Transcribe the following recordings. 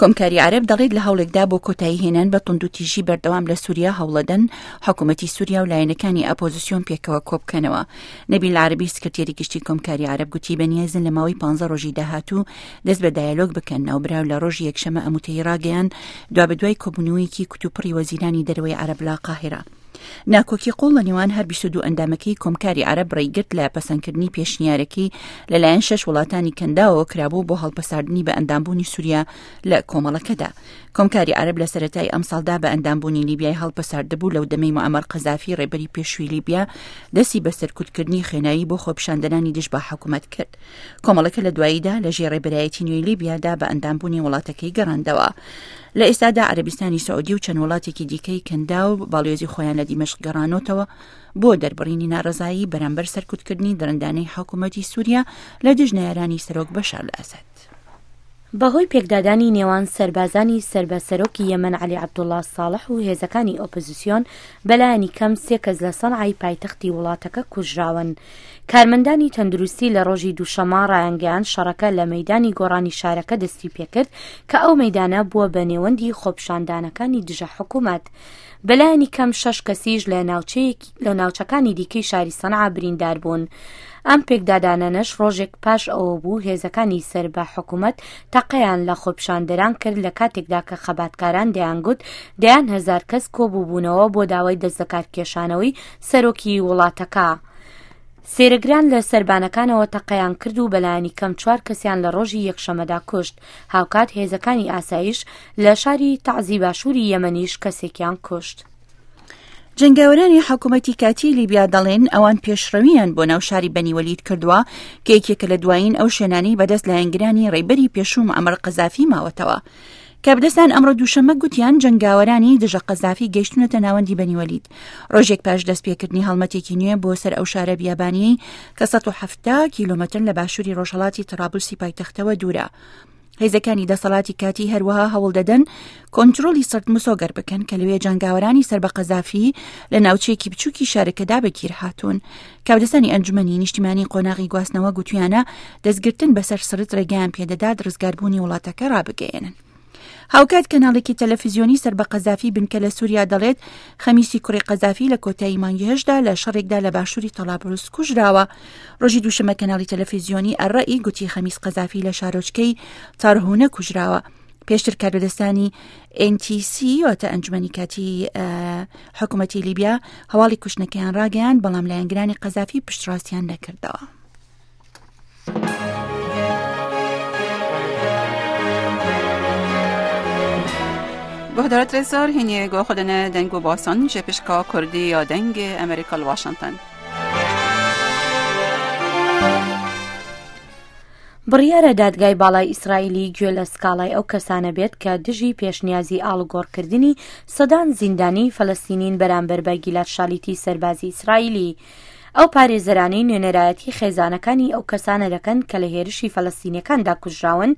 کۆمکاری عەرەب دەڵێت لە هەوڵێکدا بۆ کۆتایی هێنان بە توندوتیژی بەردەوام لە سوریا هەوڵەدەن حکوومەتی سوریا و لایەنەکانی ئەپۆزیسیۆن پێکەوە کۆبکەنەوە. نەبیل عەرەبی سکرتێری گشتی کۆمکاری عەرەب گوتی بەنیازن لە ماوەی 15 ڕۆژی داهاتوو دەست بە دایەلۆگ بکەن. ناوبراو لە ڕۆژی یەکشەمە ئەم وتەی ڕاگەیاند دوابەدوای کۆبوونەوەیەکی کوتوپڕی وەزیرانی دەرەوەی عەرەب لە قاهیرە. ناکۆکی قوڵ لە نێوان هەر 22 ئەندامەکەی کۆمکاری عەرەب ڕێیگرت لە پەسەندکردنی پێشنیارەکەی لەلایەن شەش وڵاتانی کەنداوەوە کرابوو بۆ هەڵپەساردنی بە ئەندامبوونی سووریا لە کۆمەڵەکەدا. کۆمکاری عەرەب لە سەرەتای ئەمساڵدا بە ئەندامبوونی لیبیای هەڵپەساردبوو لەو دەمەی موعەمەر قەزافی ڕێبەری پێشووی لیبیا دەستی بە سەرکوتکردنی خوێناوی بۆ خۆپیشاندەرانی دژ بە حکومەت کرد. کۆمەڵەکە لە دواییدا لە ژێر ڕێبەرایەتی نوێی لیبیادا بە ئەندامبوونی وڵاتەکەی گەڕاندەوە. لە ئێستادا عەرەبستانی سعودی و چەند وڵاتێکی دیکەی کەنداو باڵیۆزی خۆیان لە دیمەشق گەڕانۆتەوە بۆ دەربڕینی ناڕەزایی بەرامبەر سەرکوتکردنی دڕندانەی حکوومەتی سووریا لە دژ نەیارانی سەرۆک بەشار ئەسەد. بەهۆی پێکدادانی نێوان سەربازانی سەر بە سەرۆکی یەمەن عەلی عەبدوڵا ساڵح و هێزەکانی ئۆپۆزسیۆن، بەلایەنی کەم سێ کەس لە سەنعای پایتەختی وڵاتەکە کوژراون. کارمەندانی تەندروستی لە ڕۆژی دووشەممە ڕایانگەیاند شەڕەکە لە مەیدانی گۆڕانی شارەکە دەستیپێکرد کە ئەو مەیدانە بووە بە نێوەندی خۆپیشاندانەکانی دژە حکومەت. بەلایەنی کەم شەش کەسیش لە ناوچەیەک لە ناوچەکانی دیکەی شاری سەنعا بریندار بوون. ئەم پێکدادانانەش ڕۆژێک پاش ئەوە بوو هێزەکانی سەر بە حکومەت تەقەیان لە خۆپیشاندەران کرد لە کاتێکدا کە خەباتکاران دەیانگوت دەیان هەزار کەس کۆبووبوونەوە بۆ داوای دەستلەکارکێشانەوەی سەرۆکی وڵاتەکە. سێرەگران لە سەربانەکانەوە تەقەیان کرد و بەلایەنی کەم چوار کەسیان لە ڕۆژی یەکشەمەدا کوشت، هاوکات هێزەکانی ئاسایش لە شاری تەعزی باشووری یەمەنیش کەسێکیان کوشت. جەنگاوەرانی حکوومەتی کاتی لیبیا دەڵێن ئەوان پێشڕەویان بۆ ناو شاری بەنی وەلید کردووە کە یەکێکە لە دوایین ئەو شوێنانەی بەدەست لایەنگرانی ڕێبەری پێشوو معەمەر قەزافی ماوەتەوە. کاربەدەستان ئەمڕۆ دووشەممە گوتیان جەنگاوەرانی دژە قەزافی گەیشتونەتە ناوەندی بەنی وەلید ڕۆژێک پاش دەستپێکردنی هەڵمەتێکی نوێ بۆ سەر ئەو شارە بیابانیەی کە 170 کیلۆمەتر لە باشووری ڕۆژهەڵاتی تەرابلسی پایتەختەوە دوورە. هێزەکانی دەسەڵاتی کاتی هەروەها هەوڵ دەدەن کۆنترۆلی سرت مسۆگەر بکەن کە لەوێ جەنگاوەرانی سەر بە قەزافی لە ناوچەیەکی بچووکی شارەکەدا بەگیر هاتوون کاودەستانی ئەنجومەنی نیشتیمانی قۆناغی گواستنەوە گوتویانە دەستگرتن بەسەر سرت ڕێگەیان پێدەدات ڕزگاربوونی وڵاتەکە ڕابگەیەنن. هاوکات کەناڵێکی تەلەفیزیۆنی سەر بە قەزافی بنکە لە سووریا دەڵێت خەمیسی کوڕی قەزافی لە کۆتایی مانگی هەشدا لە شەڕێکدا لە باشووری تەڵابلس کوژراوە ڕۆژی دووشەمە کەناڵی تەلەفیزیۆنی ئەڕئی گوتی خەمیس قەزافی لە شارۆچکەی تارهونە کوژراوە پێشتر کاربەدەستانی NTC واتە ئەنجومەنی کاتی حکوومەتی لیبیا هەواڵی کوشتنەکەیان ڕاگەیان بەڵام لایەنگرانی قەزافی پشتڕاستیان نەکردەوە. گۆهدارت رێزدار هینێ گۆ خودنە دەنگ و باسان ژێ پشکا کوردی یا دەنگ ئەمریکا لە واشنتن. بڕیارە دادگای باڵای ئیسرائیلی گوێ لە سکاڵای ئەو کەسانە بێت کە دژی پێشنیازی ئاڵوگۆڕکردنی سەدان زیندانیی فەلەستینین بەرامبەر بە گیلاد شالیتی سەربازی ئیسرائیلی. ئەو پارێزەرانەی نوێنەرایەتی خێزانەکانی ئەو کەسانە دەکەن کە لە هێرشی فەلەستینیەکاندا کوژراون،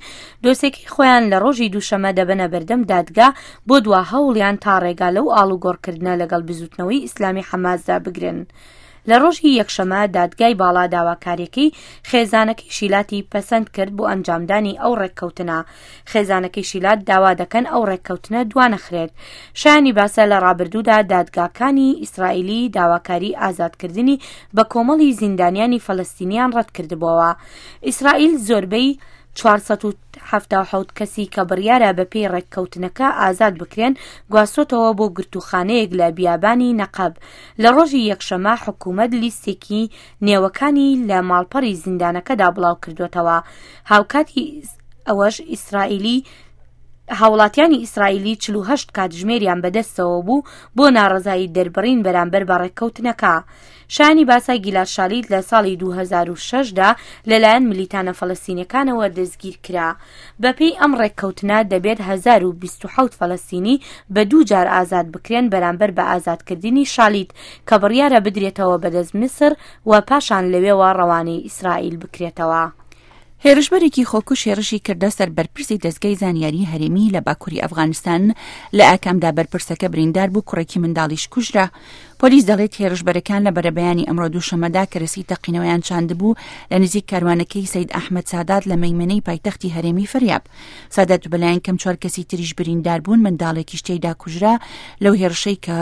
دۆسێکەی خۆیان لە ڕۆژی دووشەمە دەبەنە بەردەم دادگا بۆ دوا هەوڵیان تا ڕێگا لەو ئاڵوگۆڕکردنە لەگەڵ بزوتنەوەی ئیسلامی حەماسدا بگرن. لە ڕۆژی یەکشەمە دادگای باڵا داواکاریەکەی خێزانەکەی شیلاتی پەسەند کرد بۆ ئەنجامدانی ئەو ڕێککەوتنە. خێزانەکەی شیلات داوا دەکەن ئەو ڕێککەوتنە دوانەخرێت. شایانی باسە لە ڕابردوودا دادگاکانی ئیسرائیلی داواکاری ئازادکردنی بە کۆمەڵی زیندانیانی فەلەستینیان ڕەتکردبۆوە. ئیسرائیل زۆربەی 477 کەسی کە بڕیارە بەپێی ڕێککەوتنەکە ئازاد بکرێن گواستۆتەوە بۆ گرتووخانەیەک لە بیابانی نەقەب. لە ڕۆژی یەکشەمە حکوومەت لیستێکی نێوەکانی لە ماڵپەڕی زیندانەکەدا بڵاوکردووەتەوە. هاوکاتی ئەوەش ئیسرائیلی هاوڵاتیانی ئیسرائیلی 48 کاتژمێریان بەدەستەوە بوو بۆ ناڕەزایی دەربڕین بەرامبەر بە ڕێککەوتنەکە. شایانی باسە گیلاد شالیت لە ساڵی 2006 دا لەلایەن ملیتانە فەلەستینیەکانەوە دەستگیرکرا. بەپێی ئەم ڕێککەوتنە دەبێت 1027 فەلەستینی بە دوو جار ئازاد بکرێن بەرامبەر بە ئازادکردنی شالیت کە بڕیارە بدرێتەوە بەدەست میسر و پاشان لەوێوە ڕەوانەی ئیسرائیل بکرێتەوە. هێرشبەرێکی خۆکوژ هێڕشی کردە سەر بەرپرسی دەزگای زانیاری هەرێمی لە باکووری ئەفغانستان، لە ئاکامدا بەرپرسەکە بریندار بوو، کوڕێکی منداڵیش کوژرا. پۆلیس دەڵێت هێرشبەرەکان لە بەرەبەیانی ئەمڕۆ دووشەممەدا کەرەسەی تەقینەوەیان چاندبوو لە نزیک کاروانەکەی سەید ئەحمەد سادات لە مەیمەنەی پایتەختی هەرێمی فریاب. سادات و بەلایەن کەم چوار کەسی تریش بریندار بوون، منداڵێکیش تێیدا کوژرا لەو هێرشەی کە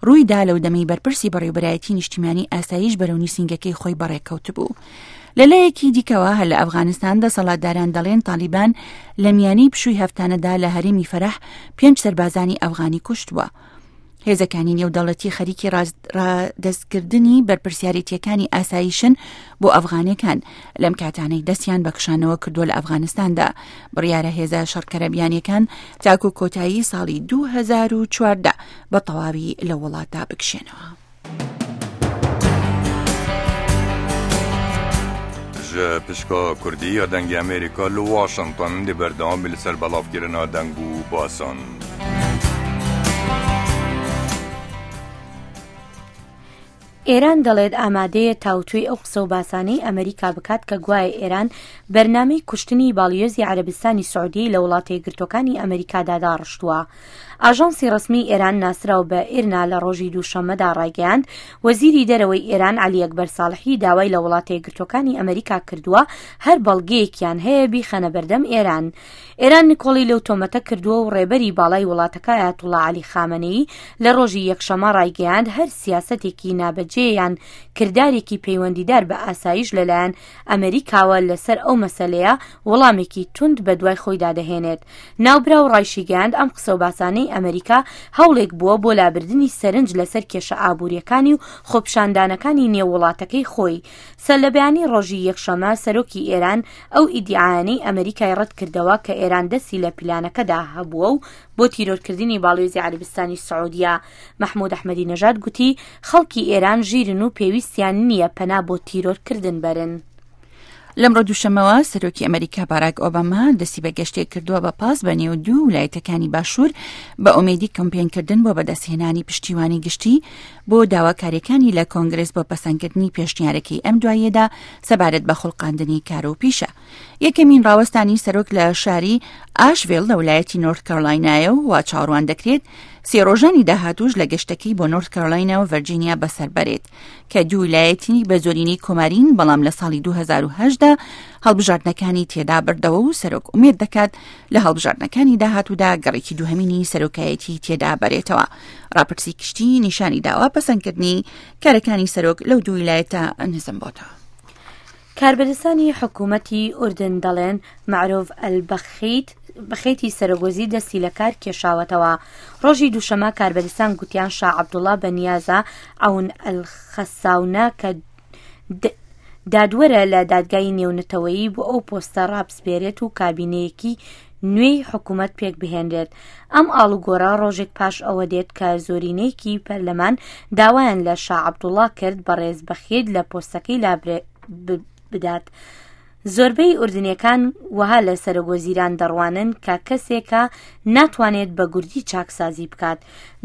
ڕوویدا لەو دەمەی بەرپرسی بەڕێوبەرایەتی نیشتیمانی ئاسایش بەرەو نووسینگەکەی خۆی بەڕێکەوتبوو. لەلایەکی دیکەوە هەر لە ئەفغانستان دەسەڵاتداران دەڵێن تالیبان لە میانی پشووی هەفتانەدا لە هەرێمی فەرەح پێنج سەربازانی ئەفغانی کوشتووە. هێزەکانی نێودەوڵەتی خەریکی ڕادەستکردنی بەرپرسیارێتیەکانی ئاسایشن بۆ ئەفغانەکان لەم کاتانەی دەستیان بە کشانەوە کردووە لە ئەفغانستاندا بڕیارە هێزە شەڕکەرە بیانیەکان تاکو کۆتایی ساڵی 2014 بە تەواوی لە وڵاتدا بکشێنەوە. Ji pişka Kurdî ya Dengê Amerîka li Washington dê berdewam bî li ser belavkirina deng û basan. ئێران دەڵێت ئامادەیە تاوتوێی ئەو قسە و باسانەی ئەمریکا بکات کە گوایە ئێران بەرنامەی کوشتنی باڵیۆزی عەرەبستانی سعودیەی لە وڵاتە یەکگرتووەکانی ئەمریکادا داڕشتووە. ئاژانسی ڕەسمی ئێران ناسراو بە ئیرنا لە ڕۆژی دووشەممەدا ڕایگەیاند، وەزیری دەرەوەی ئێران عەلی ئەکبەر ساڵحی داوای لە وڵاتە یەکگرتووەکانی ئەمریکا کردووە هەر بەڵگەیەکیان هەیە بیخەنە بەردەم ئێران. ئێران نکۆڵی لەو تۆمەتە کردووە و ڕێبەری باڵای وڵاتەکە ئایەتوڵا عەلی خامەنەیی لە ڕۆژی یەکشەممە ڕایگەیاند هەر سیاسەتێکی نابەجێ یان کردارێکی پەیوەندیدار بە ئاسایش لەلایەن ئەمریکاوە لەسەر ئەو مەسەلەیە وڵامێکی توند بەدوای خۆیدا دەهێنێت. ناوبراو ڕایشیگەیاند ئەم قسەوباسانەی ئەمریکا هەوڵێک بووە بۆ لابردنی سەرنج لەسەر کێشە ئابوورییەکانی و خۆپیشاندانەکانی نێو وڵاتەکەی خۆی. سەرلەبەیانی ڕۆژی یەکشەمە سەرۆکی ئێران ئەو ئیدیعایانەی ئەمریکای ڕەتکردەوە کە ئێران دەستی لە پیلانەکەدا هەبووە و بۆ تیرۆرکردنی باڵیۆزی عەرەبستانی سعودیە مەحمود ئەحمەدی نەژاد گوتی خەڵکی ئێران ژیرن و پێویستیان نییە پەنا بۆ تیرۆرکردن بەرن. لەمڕۆ دووشەمەوە سەرۆکی ئەمریکا باراک ئۆباما دەستی بە گەشتێک کردووە بە پاس بە نێو دوو ولایەتەکانی باشوور بە ئومێدی کەمپێنکردن بۆ بەدەستهێنانی پشتیوانی گشتی بۆ داواکاریەکانی لە کۆنگرس بۆ پەسەندکردنی پێشنیارەکەی ئەم دواییەدا سەبارەت بە خوڵقاندنی کار و پیشە. یەکەمین ڕاوەستانی سەرۆک لە شاری ئاشڤێل لە ولایەتی نۆرت کارۆلاینایە و وا چاوەڕوان دەکرێت سێ ڕۆژانی داهاتووش لە گەشتەکەی بۆ نۆرت کارۆلاینا و ڤەرجینیا بەسەر بەرێت کە دوو ولایەتی بە زۆرینەی کۆمارین بەڵام لە ساڵی 2010 دا هەڵبژاردنەکانی تێدا بردەوە و سەرۆک ئومێد دەکات لە هەڵبژاردنەکانی داهاتوودا گەڕێکی دووهەمینی سەرۆکایەتی تێدا بەرێتەوە. ڕاپرسی گشتی نیشانی داوە پەسەندکردنی کارەکانی سەرۆک لەو دوو ویلایەتە نزم بۆتەوە. کاربەدەستانی حکوومەتی ئوردن دەڵێن مەعرۆف ئەلبەخیت بەخیتی سەرۆکوەزیر دەستی لە کار کێشاوەتەوە. ڕۆژی دووشەمە کاربەدەستان گوتیان شا عەبدوڵا بە نیازە عەون ئەلخەساونە کە دادوەرە لە دادگای نێونەتەوەیی بۆ ئەو پۆستە ڕابسپێرێت و کابینەیەکی نوێی حکوومەت پێک بهێنرێت. ئەم ئاڵوگۆڕە ڕۆژێک پاش ئەوە دێت کە زۆرینەیەکی پەرلەمان داوایان لە شا عەبدوڵا کرد بەڕێز بەخیت لە پۆستەکەی لابدات. زۆربەی ئوردنیەکان وەها لە سەرۆکوەزیران دەڕوانن کە کەسێکە ناتوانێت بە گورجی چاکسازی بکات.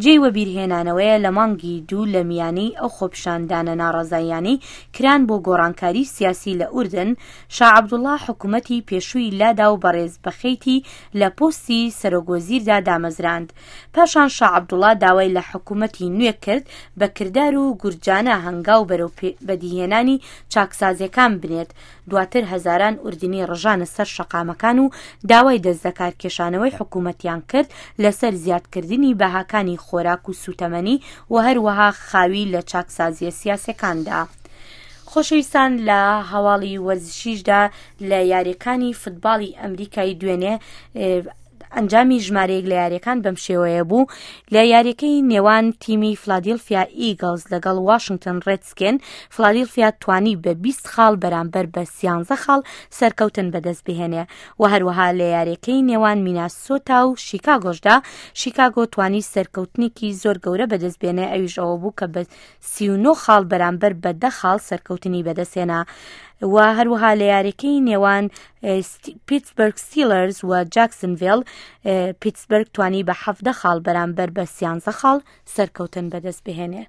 جێی وەبیرهێنانەوەیە لە مانگی دوو لە میانەی ئەو خۆپیشاندانە ناڕەزاییانەی کران بۆ گۆڕانکاری سیاسی لە ئوردن، شا عەبدوڵا حکومەتی پێشووی لادا و بەڕێز بەخیتی لە پۆستی سەرۆکوەزیردا دامەزراند. پاشان شا عەبدوڵا داوای لە حکومەتی نوێ کرد بە کردار و گورجانە هەنگاو بەرەو بەدیهێنانی چاکسازیەکان بنێت، دواتر هەزاران ئوردنی ڕژانە سەر شەقامەکان و داوای دەستلەکارکێشانەوەی حکومەتیان کرد لەسەر زیادکردنی بەهاکانی خۆراک و سوتەمەنی و هەروەها خاوی لە چاکسازیە سیاسیەکاندا. خۆشەویستان لە هەواڵی وەرزشیشدا لە یاریەکانی فتباڵی ئەمریکای دوێنێ ئەنجامی ژمارەیەک لە یاریەکان بەم شێوەیە بوو لە یاریەکەی نێوان تیمی فلادیلفیا ئیگڵز لەگەڵ واشنگتن ڕێدسکێن فلادیلفیا توانی بە 20 خاڵ بەرامبەر بە 13 خاڵ سەرکەوتن بەدەست بهێنێ و هەروەها لە یاریەکەی نێوان میناسۆتا و شیکاگۆشدا شیکاگۆ توانی سەرکەوتنێکی زۆر گەورە بەدەست بێنێ ئەویش ئەوە بوو کە بە 39 خاڵ بەرامبەر بە دە خاڵ سەرکەوتنی بەدەستهێنا و هەروەها لە یاریەکەی نێوان پیتسبرگ ستیلەرز و جاکسنڤێل پیتسبرگ توانی بە حەفدە خاڵ بەرامبەر بە سیانزە خاڵ سەرکەوتن بەدەست بهێنێ.